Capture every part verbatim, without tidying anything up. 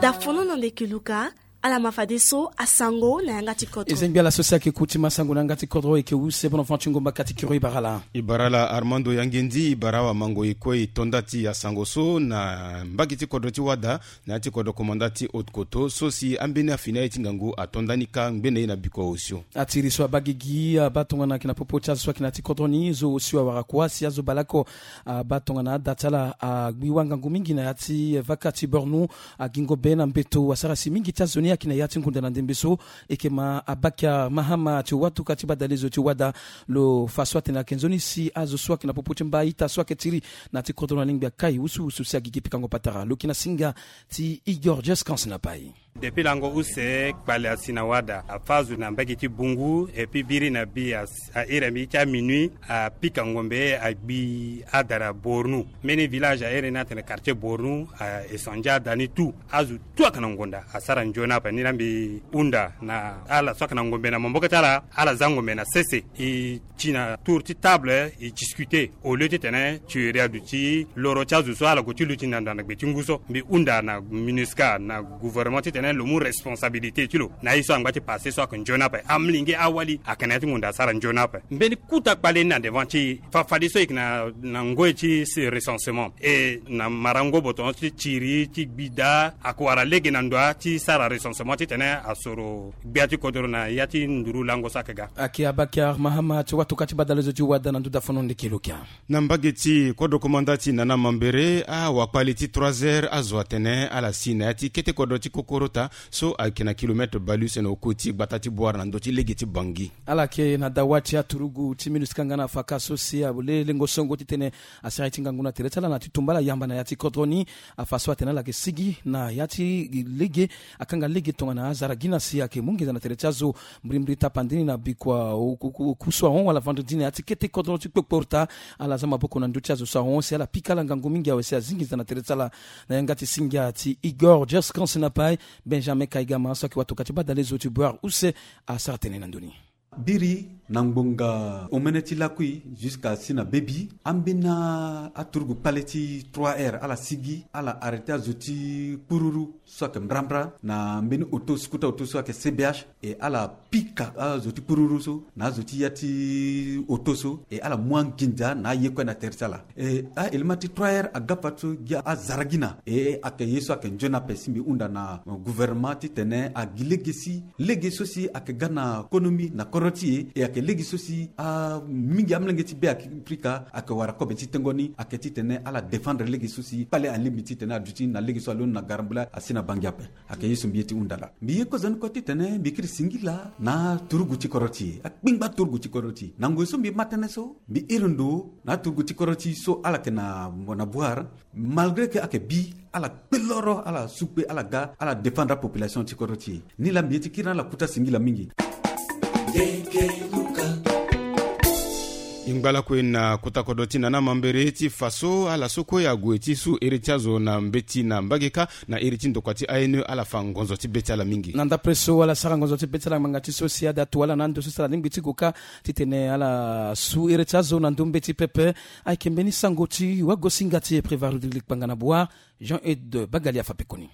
Dafono na ndeke luka. Ala ma fadeso asango na yanga ti kodro. Ezengbi ala so si ayeke ku ti ma sango na yanga ti kodro eke use bono fanti ngomba kati kiro ibara la. Ibara la Armando Yangendi, ibara wa mango e kue e to nda ti asango so na mbage ti kodro ti wada, na ya ti kodro komanda ti haute koto so si ambeni afini aye ti ngangu ato nda ni ka ngbene ye na bikua osio. Atiri so abagigi abaa tongana ayeke na popo ti azo so ayeke na ya ti kodro ni zo osio awara kua si azo baleoko abaa tongana ada ti ala agbi wangangu mingi na ya ti vaka ti bornu. Agingo be na mbeto asara si mingi ti azo ni ayeke na ya ti ngunda na ndembe so. Eke ma abakia mahama ti watuka ti badale zo ti wada. Lo fa so atene ayeke nzoni si azo so ayeke na popo ti mba ita so ayeke tiri na ya ti kodro na lingbi akai wusuwusu si agigi pikango patara lo yeke na singa ti igor jescans na pai. Depuis lango use kpale asi na wada afa azo na mbage ti bungu epi biri na bi a iri ambi ti aminui apika ngombe agbi adara bornu. Mbeni village a iri ni atene quartier bornu a esandia ada ni tu azo tu ayeke na ngonda asara nzoni ape ni la mbi hunda na ala so ayeke na ngombe na maboko ti ala. Ala za ngombe na sese e ti na tour ti table e discuter au lieu titene tuerie aduti loro ti azo so ala gue ti luti na ndo na gbe ti ngu so mbi hunda na minusca na gouvernement titene lo mu responsabilité ti lo na ye so angba ti passe so ayeke nzoni ape amolenge awali ayeke na ya ti ngonda asara nzoni ape. Mbeni kuta kpale ni na devant ti e fafadeso e yeke na ngoi ti recensement e na marango boton ti tiri ti gbida ayeke wara lege na ndoa ti sara recensement titene asoro gbia ti kodoro na ya ti nduru lango so ayeke ga. Ayeke abakar mahama ti watuka ti badale zo ti wada na nduda fono ndeke lokia. Na mbage ti kodro komanda ti nana mambere awakpali ti trois heures azo atene ala si na ya ti kete kodro ti kokorota so ayeke na kilometre baluse na oko ti gbata ti bwara na ndö ti lege ti bangi. Ala yeke na dawa ti aturugu ti minusca nga na faka so si alengo songo titene asara ye ti ngangu na tere ti ala na ti tumba ala yamba na ya ti kodro ni. Afa so atene ala yeke sigi na ya ti lege akanga lege tongana azara gi na si ayeke mu nginza na tere ti azo. Mbrimbri tapandi ni na bikua oku so ahon wala vendredi na ya ti kete kodro ti kpokporota. Ala za maboko na ndö ti azo so ahon si ala pika ala ngangu mingi awe si azi nginza na tere ti ala. Na yanga ti singa ti igor jescans na pai benjamin kaigama so ayeke watuka ti badale zo ti boire use asara tene na ndö ni. Biri na ngbonga omene ti lakui jusqu'à si na bebi ambeni aturugu kpale ti trois heures ala sigi ala arrêté azo ti kpururu so ayeke mbrambra na mbeni auto skuta auto so ayeke cbh e ala pika azo ti kpururu so na azo ti ya ti auto so e ala mu anginza na aye kue na tere ti ala. E aelema ti trois heures agafa so gi azara gi na e ayeke ye so ayeke nzoni ape si mbi hunda na gouvernement titene agi lege si lege so si ayeke ga na konomi na kodro ti e e ayeke lege so si mingi amolenge ti be afrika ayeke wara kobe ti tengo ni ayeke titene ala défendre lege so si kpale alingbi titene aduti na lege so alondo na garambula asi na bangi ape. Ayeke ye so mbi ye ti hunda laa mbi ye kozoni kue titene mbi kiri singila na aturugu ti kodro ti e akpingba aturugu ti kodro ti e na ngoi so mbi ma tënë so mbi iri ndo na aturugu ti kodro ti e so ala yeke na boire malgré ke ayeke bi ala kpe loro ala su kpe ala ga ala défendre apopulation ti kodro ti e. Ni laa mbi ye ti kiri na ala kuta singila mingi. E ngba lakue na kota kodro ti nana mambere ti fa so ala so kue ague ti su iri ti azo na mbeti na mbage kâ na iri ti ndokua ti ane ala fa ngonzo ti be ti ala mingi. Na ndapre so ala sara ngonzo ti be ti ala ngbanga ti so si ada tu ala na ando so si ala lingbi ti gue kâ titene ala su iri ti azo na ndö mbeti pepe. Ayeke mbeni sango ti wagosinga ti e prévarudrili kpanga na boire jean ed bagalia fa pekoni.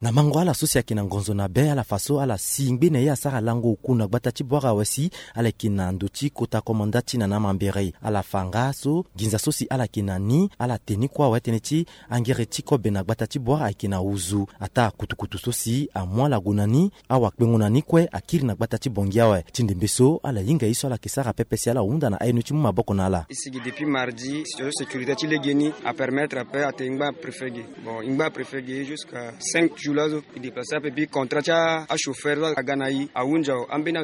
Na mango ala so si ayeke na ngonzo na be ala fa so ala si ngbene ye asara lango oku na gbata ti bwara awe si ala yeke na ndo ti kota komanda ti nana mambere ala fa nga so nginza so si ala yeke na ni ala te ni kue awe tënë ti angere ti kobe na gbata ti bwara ayeke na uzu ataa kutukutu so si amu ala gue na ni. Awakpengo na ni kue akiri na gbata ti bongi awe ti ndembe so ala hinga ye so ala yeke sara pepe si ala hunda na aye ni ti mu maboko na ala. E sigi depuis mardi situation sécurité ti lege ni apermettre ape ate ngba préfet ge. Bon e ngba préfet ge jusqu'à cinq jours laso e déplacer ape bi contrat ti achauffeur so aga na e ahunzi aho ambeni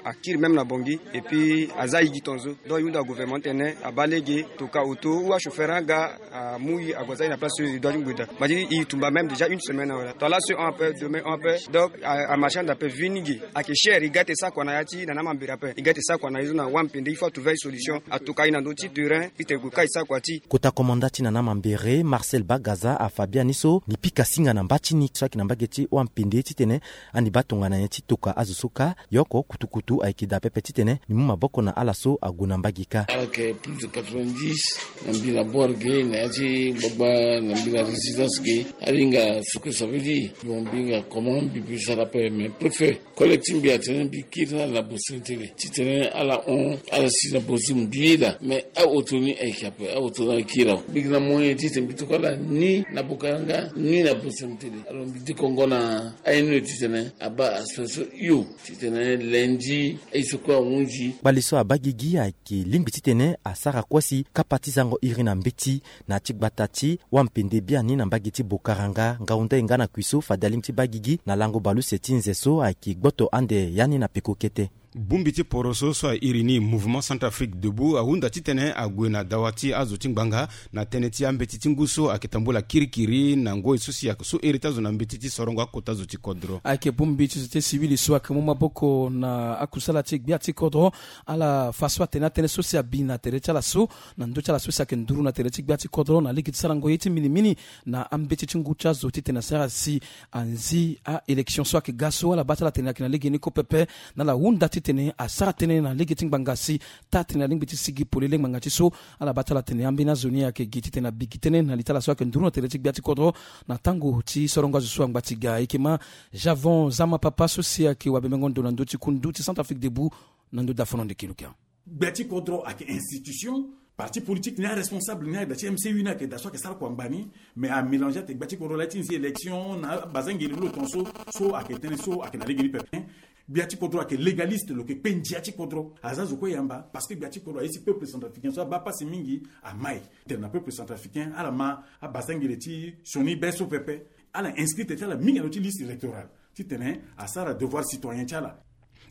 akiri même na bongi. Et puis aza ayi gi tonzo donc e hunda gouvernement tene abaa lege toka auto ou achauffeur aga amu e ague aza e na place so e doit ti ngbeda. Madi e tumba même déjà une semaine awe la to laso e hon ape demain hon ape donc amarchande ape vini ge. Ayeke cher e ga ete sakua na ya ti nana mambere ape e ga ete sakua na e so na wampe nde il faut atrouver e solution atoka e na ndö ti terrain. Ite gue ka e sakua ti. Kota komanda ti nana mambere marcel bagaza afa biani so ni pika singa na mba ti ni so Na mbage ti wampende titene andi baa tongana nyen ti toka azo so kâ. Yoko kutukutu ayeke daa pepe titene ni mu maboko na ala so ague na mbage kâ. Ala yeke plus de quatre-vingt-dix na mbi na bor ge na ya ti gbagba na mbi na résidence ge. Alinga ce que ça veut dire. Bon, mbi hinga comment mbi peut sara ape, mais préfet, collecte ti mbi atene mbi kiri na ala na bosentele titene ala hon ala si na bozi mbi ye daa. Mais aoto ni ayeke ape, aoto ni ayeke kiri awe. Mbi yeke na moyen titene mbi toko ala ni na bokaranga ni na bosentele. Alors mbi dekongo na aye ni lo titene abaa aspect so hio titene lundi aye so kue ahunzi. Kpali so abaa gigi ayeke lingbi titene asara kue si kapa ti zango iri na mbeti na ti gbata ti wampende biani na mbage ti bokaranga ngahunda e nga na kui so fade alingbi ti baa gigi na lango baleuse ti nze so ayeke gboto ande ya ni na peko kete. Bongbi ti poroso so airi ni Mouvement Centrafrique Debout ahunda titene ague na dawa ti azo ti ngbanga na tënë ti ambeti ti ngu so ayeke tambula kirikiri na ngoi so si ayeke so iri ti azo na mbeti ti sorongo akota zo ti kodro. Ayeke bongbi ti société civile so ayeke mu maboko na akusala ti gbia ti kodro. Ala fa so atene atënë so si abi na tere ti ala so na ndö ti ala so si ayeke nduru na tere ti gbia ti kodro na lege ti sarango ye ti minimini na ambeti ti ngu ti azo titene asara si anzi a-élection so ayeke ga so ala baa ti ala tene ayeke na lege ni kue pepe. Na ala hunda titene asara tënë na lege ti ngbanga si taa tene alingbi ti sigi polele ngbanga ti so. Ala baa ti ala tene ambeni azo ni ayeke gi titene abi gi tënë na li ti ala so ayeke nduru na tere ti gbia ti kodro na tango ti sorongo azo so angba ti ga. E yeke ma Javon Zama Papa so si ayeke wabemengo ndo na ndö ti kundu ti Centrafrique Debout na ndö dafono ndeki lukia. Gbia ti kodro ayeke institution. Parti politique ni aresponsable ni ayeke daa ti M C U ni ayeke daa so ayeke sara kua ngba ni. Mais amélange ate gbia ti kodro laa ti nzi élection na abazengeli lo tongaso so ayeke tënë so ayeke na lege ni pepe. Gbia ti kodro ayeke légaliste, lo yeke kpe ndia ti kodro. Aza zo kue yamba parce que gbia ti kodro aye si peuple centrafricain so abaa pasi mingi. Amai tene na peuple centrafricain ala ma abazengeli ti sioni be so pepe. Ala inscrit tene ti ala mingi na ndö ti liste électorale titene asara devoir citoyen ti ala.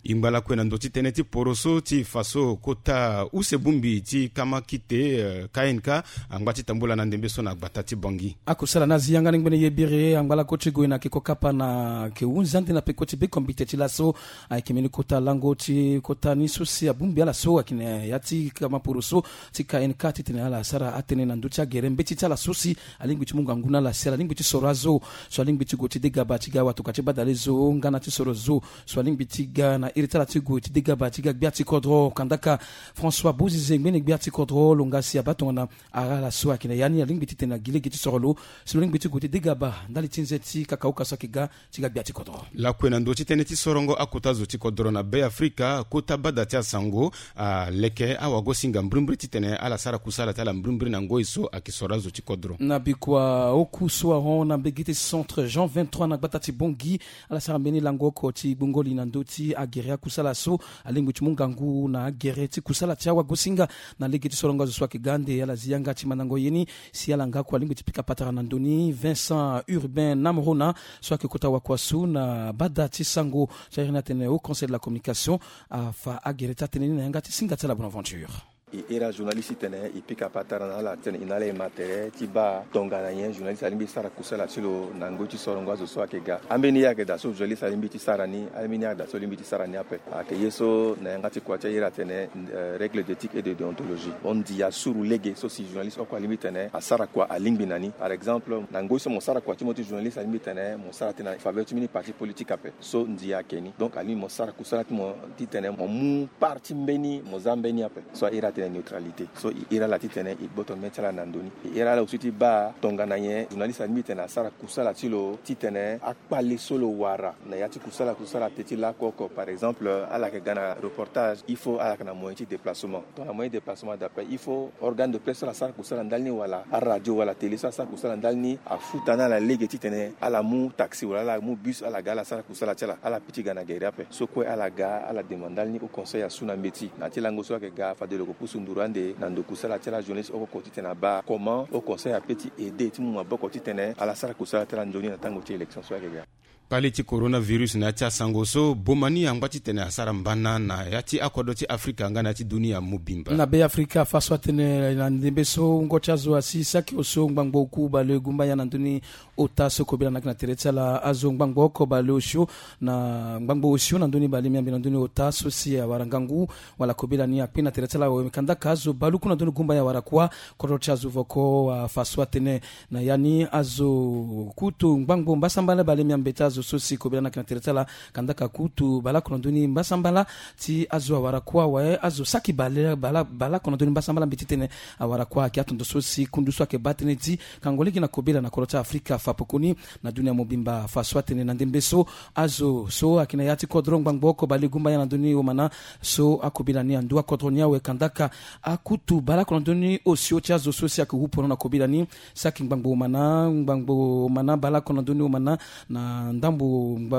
E ngba lakue na ndö ti tënë ti poroso ti fa so kota use bongbi ti kama kite, eh, K N K angba ti tambula na ndembe so na gbata ti Bangui. Akusala ni azi yanga ni ngbene ye biri angba lako ti gue na yeke kokapa na yeke hunzi ande na peko ti bekombite ti laso. Ayeke mbeni kota lango ti kota ni so si abongbi ala so ayeke na ya ti kama poroso ti K N K titene ala sara atënë na ndö ti agere mbeti ti ala so si alingbi ti mu ngangu na ala si ala lingbi ti soro azo so alingbi ti gue ti degaba ti ga watoka ti badale zo nga na ti soro zo so alingbi ti ga na iri ti ala ti gue ti degaba ti ga gbia ti kodro. Kandaka François Bozize ngbene gbia ti kodro lo nga si abaa tongana ara ala so ayeke na ya ni alingbi titene agi lege ti soro lo si lo lingbi ti gue ti degaba ndali ti nze ti kakaoka so ayeke ga ti ga gbia ti kodro. Lakue na ndö ti tënë ti sorongo akota zo ti kodro na Beafrika, kota bada ti asango aleke awagosinga mbrimbri titene ala sara kusala ti ala mbrimbri na ngoi so ayeke soro azo ti kodro. Na bikua oku so ahon na mbege ti centre Jean vingt-trois na gbata ti Bangui, ala sara mbeni lango oko ti gbungo li na ndö ti agere akusala so alingbi ti mu ngangu na agere ti kusala ti awagosinga na lege ti sorongo azo so ayeke ga ande. Ala zi yanga ti mandango ye ni si ala nga kue alingbi ti pika patara na ndö ni. Vincent Urbain Namrona so ayeke kota wakua so na bada ti sango so ahiri ni atene au conseil de la communication afa agere ti atënë ni na yanga ti singa ti ala Bonaventure. E iri ajournaliste titene e pika patara na ala titene e na ala e ma tere ti baa tongana nyen journaliste alingbi ti sara kusala ti lo na ngoi ti sorongo azo so ayeke ga. Ambeni ye ayeke daa so journaliste alingbi ti sara ni, ambeni ye ayeke daa so lingbi ti sara ni ape. Ayeke ye so na yanga ti kua ti e iri atene, eh, règle d'éthique et de déontologie. Hon ndia suru lege so si journaliste oko alingbi titene asara kua alingbi na ni. Par exemple na ngoi so mo sara kua ti mo ti journaliste alingbi titene mo sara tënë na faveur ti mbeni parti politique ape. So ndia ayeke ni. Donc alingbi mo sara kusala ti mo titene mo mu part ti mbeni, mo za mbeni ape. So a iri atene neutralité. So e iri ala titene e gboto mê ti ala na ndö ni. E iri ala aussi ti baa tongana nyen journaliste alingbi titene asara kusala ti lo titene akpale so lo wara na ya ti kusala kusala te ti laku oko. Par exemple ala yeke ga na reportage, il faut ala yeke na moyen ti déplacement. Tongana moyen déplacement daa ape, il faut organe de presse so ala sara kusala ndali ni wala aradio wala télé so ala sara kusala ndali ni afuta na ala lege titene ala mu taxi wala ala mu bus ala ga ala sara kusala ti ala. Ala piti ga na gere ape. So kue ala ga ala demande ndali ni au conseil asu na mbeti na ya ti lango so ayeke ga fade lo yeke pusu nduru ande na ndo kusala ti ala journaliste oko oko titene abaa comment au conseil ape ti aider ti mu maboko titene ala sara kusala ti ala nzoni na tango ti élection so ayeke ga. Kpale ti coronavirus na ya ti asango so boma ni angba titene asara mbana na ya ti akodro ti Afrika nga na ya ti dunia mobimba. Na be Afrika afa so atene na ndembe so wungo ti azo asi saki osio ngbangbo oku baleogumba ya na ndoni ota so kobela na yeke na tere ti ala azo ngbangbo oko baleosio na ngbangbo osio na ndoni balemiambe na ndoni ota so si awara ngangu wala kobela ni akpe na tere ti ala awe kandaka azo baluku na ndoni gumba ya awara kuâ. Kodro ti azo voko afa so atene na ya ni azo kutu ngbangbo mbasambala balemiambe ti azo so si kobela na yeke na tere ti ala kandaka kutu baleoko na ndoni mbasambala ti azo awara kuâ awe azo saki baleoko na ndoni mbasambala mbi titene awara kuâ ayeke atondo so si kundu so ayeke baa tënë ti kango lege na kobela na kodro ti Afrika afa pekoni na dunia mobimba afa so atene na ndembe so azo so ayeke na ya ti kodro ngbangbo oko baleogumba ya na ndoni omana so akobela ni andu akodro ni awe kandaka akutu baleoko na ndoni osio ti azo so si ayeke hu pono na kobela ni saki ngbangbo omana ngbangbo omana baleoko na ndoni omana na ndambo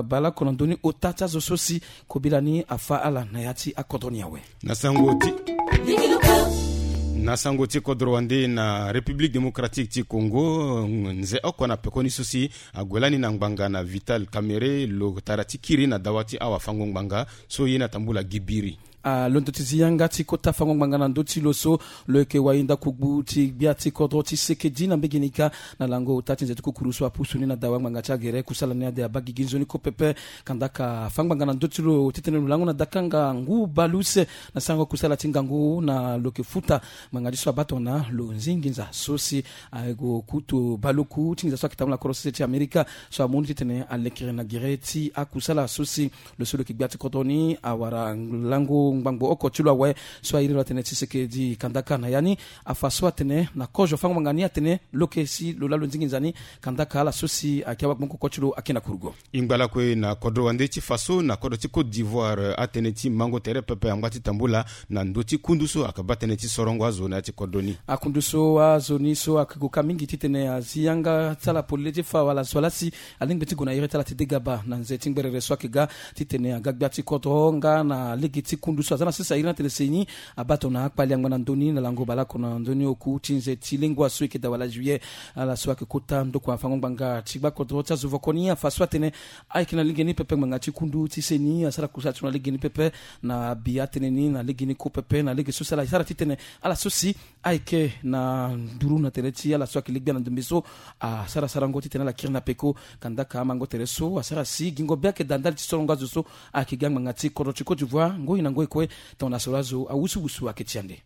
baleoko na ndoni ota ti azo so si kobela ni afa ala na ya ti akodro ni awe. Na sango ti na sango ti kodro wande na République Démocratique ti Congo nze oko na pekoni so si ague lani na ngbanga na Vital Kamerhe lo tara ti kiri na dawa ti awafango-ngbanga so ye na tambula gi biri. Alondo ti zi yanga ti kota fango-ngbanga na ndö ti lo so lo yeke wayinda kugbu ti gbia ti kodro ti sekedi na mbege ni kâ na lango ota ti nze ti kukuru so apusu ni na dawa ngbanga ti agere kusala ni ade abaa gigi nzoni ko pepe. Kandaka afa ngbanga na ndö ti lo titene lo lango na dakanga ngu baleuse na sarango kusala ti ngangu na lo yeke futa ngbanga ti so abaa tongana lo zingi nza so si ague kutu baleoku ti nginza so ayeke tambula na kodro sese ti Amerika so amu ni titene alekere na gere ti akusala so si lo so lo yeke gbia ti kodro ni awara lango ngbangbo oko ti lo awe so airi lo atene ti seke di kandaka na ya ni afa so atene na kozo fango-ngbanga ni atene lo yeke si lo laa lo zingi nza ni kandaka ala so si ayeke awagbongo oko ti lo ayeke na kurugo. E ngba lakue na kodro wande ti fa so na kodro ti Côte d'Ivoire atënë ti mango tere pepe angba ti tambula na ndö ti kundu so ayeke baa tënë ti sorongo azo na ya ti kodro ni. Akundu so azo ni so ayeke gue ka mingi titene azi yanga ti ala polele ti fa wala zo ala si alingbi ti gue na iri ti ala ti degaba na nze ti ngberere so ayeke ga titene aga gbia ti kodro nga na lege ti kundu so aza na sese airi na tene seni abaa tongana akpali angba na ndö ni na lango baleoko na ndö ni oku ti nze ti lengua so e yeke daa wala juillet. Ala so ayeke kota ndokua fango-ngbanga ti gbakodro ti azo voko ni afa so atene ayeke na lege ni pepe ngbanga ti kundu ti seni asara kusala ti lo na lege ni pepe na abi atënë ni na lege ni ko pepe na lege so si ala sara titene ala so si ayeke na nduru na tere ti ala so ayeke legbia na ndombe so asara sarango titene ala kiri na peko. Kandaka amango tere so asara si gingo be ayeke daa ndali ti sorongo azo so ayeke gi angbanga ti kodro ti Côte d'Ivoire ngoi na ngoi kue tongana soro azo awusuwusu ayeke ti ande.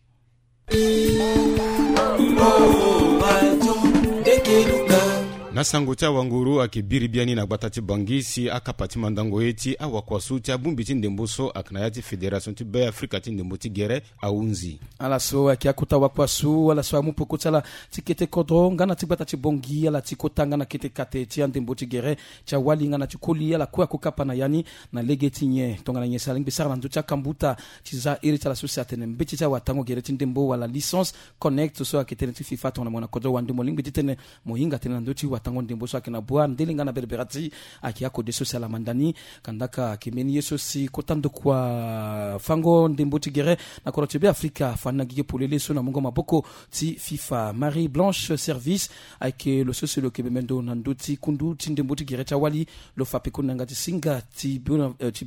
Na sango ti awanguru ayeke biri biani na gbata ti Bangui si akapa ti mandango ye ti awakuasu ti abongbi ti ndembo so ayeke na ya ti fédération ti Be Afrika ti ndembo ti gere ahunzi. Ala so ayeke akota wakuasu ala so amu peko ti ala ti kete kodro nga na ti gbata ti Bangui ala ti kota nga na kete kate ti andembo ti gere ti awali nga na ti koli ala kue ako kapa na ya ni na lege ti nyen tongana nyen si alingbi sara na ndö ti akambuta ti za iri ti ala so si atene mbeti ti awatango gere ti ndembo wala licence connect so ayeke tënë ti FIFA tongana mo na kodro wande mo lingbi titene mo hinga tënë na ndö ti watango ndembo so ayeke na bua ndele nga na bereberati ayeke akode so si ala manda ni. Kandaka ayeke mbeni ye so si kota ndokua fango ndembo ti gere na kodro ti Be Afrika afa ni na gigi polele so na mungo maboko ti FIFA. Marie Blanche Service ayeke lo so si lo yeke bembe ndo na ndö ti kundu ti ndembo ti gere ti awali. Lo fa pekoni na yanga ti singa ti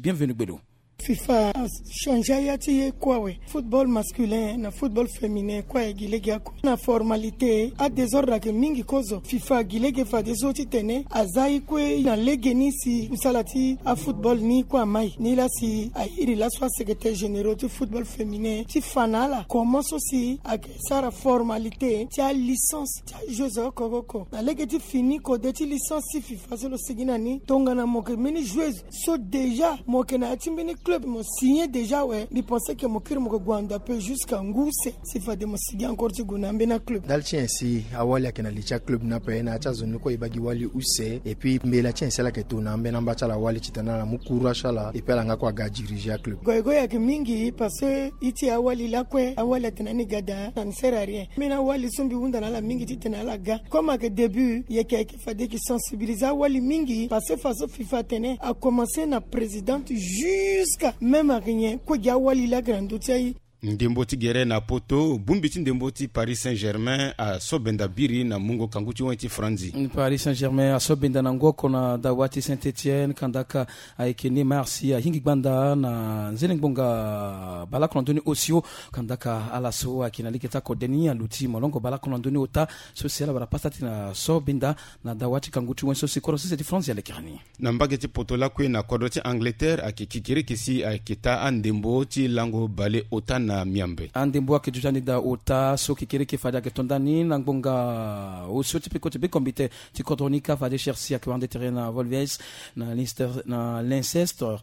bienvenu gbelo. FIFA achangé aya ti ye kue awe. Football masculin na football féminin kue aye gi lege oko na formalité. Adésordre ayeke mingi kozo. FIFA agi lege fadeso titene aza ye kue na lege ni si kusala ti afootball ni kue amai ni laa si airi laso asecrétaire généraux ti football féminin ti fa na ala comment so si ayeke sara formalité ti alicence ti ajoueuse oko oko. Na lege ti fini kode ti licence ti FIFA so lo sigi na ni tongana mo yeke mbeni joueuse so déjà mo yeke na ya ti mbeni club mo signé déjà awe mbi pense ke mo kiri mo yeke gue ando ape jusqu'à ngu use si fade mo sigi encore ti gue na ambeni aclub. Ndali ti nyen si awali ayeke na li ti aclub ni ape na ya ti azo ni kue e baa gi wali use et puis mbela ti nyen si ala yeke to na ambeni amba ti ala wali titene ala mu courage ti ala et puis ala nga kue aga diriger aclub. Goigoi ayeke mingi parce que iti awali lakue awali atene ani ga daa na ni sert à rien. Mbeni awali so mbi hunda na ala mingi titene ala ga comme ayeke début yeke ayeke fade yeke sensibiliser awali mingi parce que façon FIFA atene akomanse na présidente jusqu'à même ayeke nyen kue gi awali laa ayeke na ndö ti aye. Ndembo ti gere na poto, bongbi ti ndembo ti Paris Saint-Germain aso benda biri na mungo kangu ti wen ti Franzi. Paris Saint-Germain aso benda na ngu oko na dawa ti Saint-Etienne, kandaka ayeke Neymar si ahingi gbanda na nzene ngbonga baleoko na ndö ni osio. Kandaka ala so ayeke na lege ti akode ni aluti molongo baleoko na ndö ni ota. So si ala wara pasa ti na so benda na dawa ti kangu ti wen so si kodro sese ti Franzi alekere ni. Na mbage ti poto lakue na kodro ti Angleterre ayeke kekereke si ayeke taa andembo ti lango bale ota na miambe. Andembo ayeke duti ande daa ota so kekereke fade ayeke to ndani na ngbonga osio ti peko ti bekombite ti kodro ni kâ fade Chelsea ayeke wara nde tere na Wolves, na Leicester, na Leicester,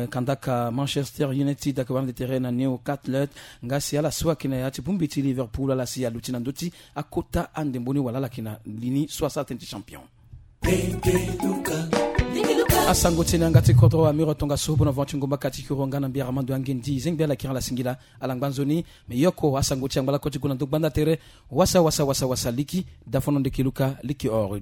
kandaka Manchester United ayeke wara nde tere na Newcastle. Nga si ala so ayeke na ya ti bongbi ti Liverpool ala si aluti na ndö ti akota andembo ni wala ala yeke na li ni so asara tënë ti champion. Asango ti e na yanga ti kodro amiro tongaso bona van ti ngomba kati kuro nga na mbi Armando Angendi zengbe ala kiri ala singila ala ngba nzoni. Me yoko asango ti angba lako ti gue na ndo gbanda tere. Wasa wasa wasa wasa liki dafono ndeke luka liki oro.